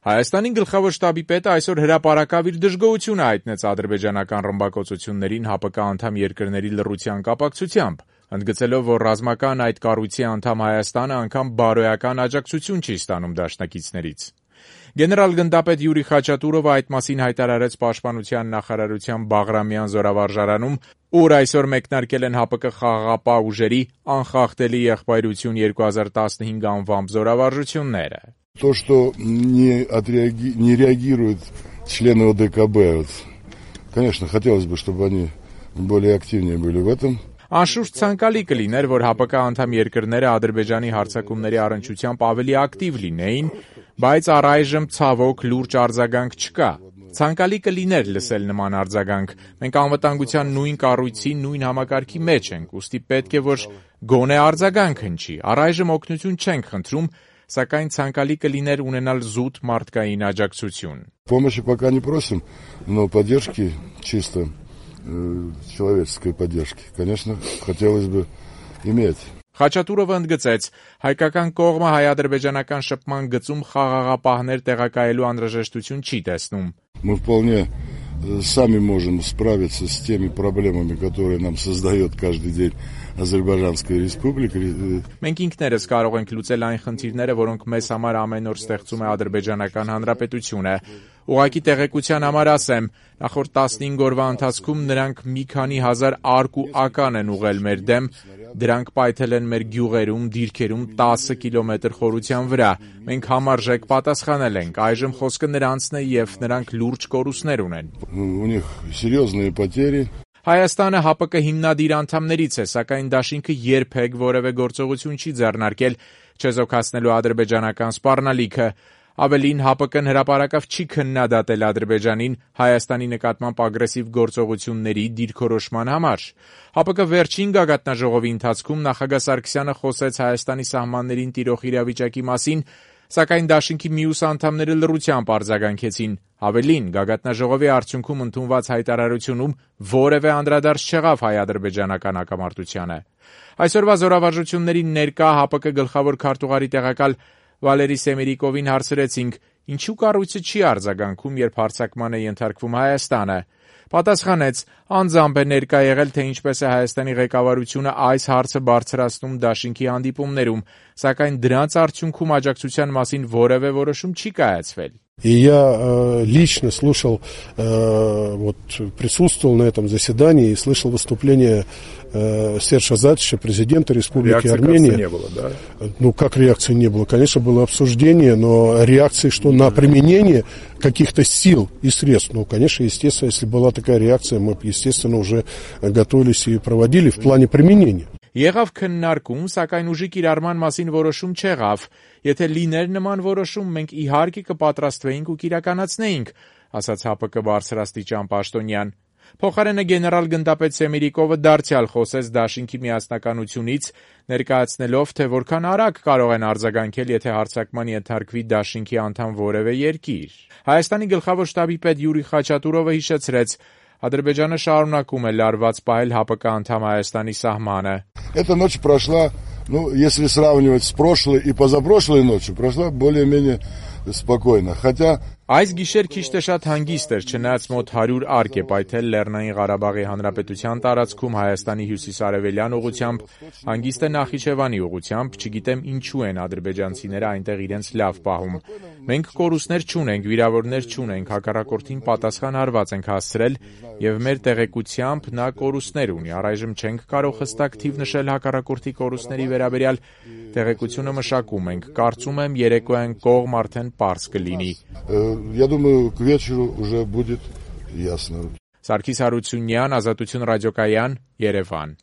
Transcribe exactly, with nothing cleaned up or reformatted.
Հայաստանի գլխավոր շտաբի պետը այսօր հրապարակավ իր դժգոհությունը հայտնեց ադրբեջանական ռմբակոծություններին ՀԱՊԿ անդամ երկրների լռության կապակցությամբ, ընդգծելով, որ ռազմական այդ կառույցի անդամ Հայաստանը անգամ բարոյական աջակցություն չի ստանում դաշնակիցներից։ Գեներալ-գնդապետ Յուրի Խաչատուրովը այդ մասին հայտարարեց Պաշտպանության նախարարության Բաղրամյան զորավարժարանում, ուր այսօր մեկնարկել են ՀԱՊԿ խաղաղապահ ուժերի «Անխախտելի եղբայրություն երկու հազար տասնհինգ» անվամբ զորավարժությունները։ То, что не, отреаги... не реагируют члены ОДКБ, конечно, хотелось бы, чтобы они более активнее были в этом. Անշուշտ ցանկալի կլիներ, որ ՀԱՊԿ անդամ երկրները Ադրբեջանի հարձակումների առնչությամբ ավելի ակտիվ լինեին, բայց առայժմ ցավոք լուրջ արձագանք չկա։ Ցանկալի կլիներ լսել նման արձագանք։ Մենք անվտանգության նույն կառույցի, նույն համակարգի մեջ ենք, ուստի պետք է, որ գոնե արձագանք հնչի։ Առայժմ օգնություն չենք խնդրում, սակայն ցանկալի կլիներ ունենալ զուտ մարդկային աջակցություն։ Помощи пока не просим, но поддержки чисто э, человеческой поддержки, конечно, хотелось бы иметь. Խաչատուրովը ընդգծեց, հայկական կողմը հայ-ադրբեջանական շփման գծում խաղաղապահներ տեղակայելու անհրաժեշտություն չի տեսնում։ Мы вполне сами можем справиться с теми проблемами, которые нам создает каждый день Азербайджанская республика. Մենք ինքներս կարող ենք լուծել այն խնդիրները, որոնք մեզ համար ամեն օր ստեղծում է Ադրբեջանական Հանրապետությունը։ Ուղղակի տեղեկության համար ասեմ, նախորդ տասնհինգ օրվա ընթացքում նրանք մի քանի հազար արկ ու ական են ուղղել մեր դեմ, դրանք պայթել են մեր գյուղերում, դիրքերում տասը կիլոմետր խորության վրա։ Մենք համարժեք պատասխանել ենք, այժմ խոսքը նրանցն է եւ նրանք լուրջ կորուստներ ունեն։ У них серьезные потери. Հայաստանը ՀԱՊԿ հիմնադիր անդամներից է, սակայն դաշինքը երբեք որևէ գործողություն չի ձեռնարկել չեզոքացնելու ադրբեջանական սպառնալիքը։ Ավելին, ՀԱՊԿ-ն հրապարակավ չի քննադատել Ադրբեջանին Հայաստանի նկատմամբ ագրեսիվ գործողությունների դիրքորոշման համար։ ՀԱՊԿ վերջին գագաթնաժողովի ընթացքում նախագահ Սարգսյանը խոսեց Հայաստանի սահմաններին տիրող իրավիճակի մասին, սակայն դաշինքի մյուս անդամները լռությամբ արձագանքեցին։ Ավելին, գագաթնաժողովի արդյունքում ընդունված հայտարարությունում որևէ անդրադարձ չեղավ հայ-ադրբեջանական հակամարտությանը։ Այսօրվա զորավարժությունների ներկա ՀԱՊԿ գլխավոր քարտուղարի տեղակալ Վալերի Սեմերիկովին հարցրեցինք, ինչու կառույցը չի արձագանքում, երբ հարձակման է ենթարկվում Հայաստանը։ Պատասխանեց, անձամբ է ներկա եղել, թե ինչպես է Հայաստանի ղեկավարությունը այս հարցը բարձրացնում դաշինքի հանդիպումներում, сакայն դրանց արդյունքում աջակցության մասին որևէ որոշում չի կայացվել։ И я э, лично слушал, э, вот, присутствовал на этом заседании и слышал выступление э, Сержа Азатовича, президента Республики реакции, Армения. Не было, да? Ну, как реакции не было? Конечно, было обсуждение, но реакции, что на применение каких-то сил и средств, ну, конечно, естественно, если была такая реакция, мы, естественно, уже готовились и проводили в плане применения. Եղավ քննարկում, սակայն ուժի կիրառման մասին որոշում չեղավ։ Եթե լիներ նման որոշում, մենք իհարկե կպատրաստվեինք ու կիրականացնեինք, ասաց ՀԱՊԿ բարձրաստիճան պաշտոնյան։ Փոխարենը գեներալ-գնդապետ Սեմերիկովը դարձյալ խոսեց դաշինքի միասնականությունից, ներկայացնելով, թե որքան արագ կարող են արձագանքել, եթե հարձակման ենթարկվի դաշինքի անդամ որևէ երկիր։ Հայաստանի գլխավոր շտաբի պետ Յուրի Խաչատուրովը հիշեցրեց, Ադրբեջանը շարունակում է լարված պահել ՀԱՊԿ անդամ Հայաստանի սահմանը։ Эта ночь прошла, ну, если сравнивать с прошлой и позапрошлой ночью, прошла более-менее спокойно. Хотя Այս գիշեր քիչ թե շատ հանգիստ էր, չնայած մոտ հարյուր արկ է պայթել Լեռնային Ղարաբաղի Հանրապետության տարածքում Հայաստանի հյուսիսարևելյան ուղությամբ, հանգիստ է Նախիջևանի ուղությամբ, չգիտեմ ինչու են ադրբեջանցիները այնտեղ իրենց լավ պահում։ Մենք կորուստներ չունենք, վիրավորներ չունենք, հակառակորդին պատասխան հարված ենք հասցրել եւ մեր տեղեկությամբ նա կորուստներ ունի։ Առայժմ չենք կարող հստակ թիվ նշել հակառակորդի կորուստների վերաբերյալ, տեղեկությունը մշակում ենք։ Կարծում եմ երեկոյան կողմ արդեն պարզ կլինի։ Я думаю, к вечеру уже будет ясно. Սարգիս Հարությունյան, Ազատություն ռադիոկայան, Երևան։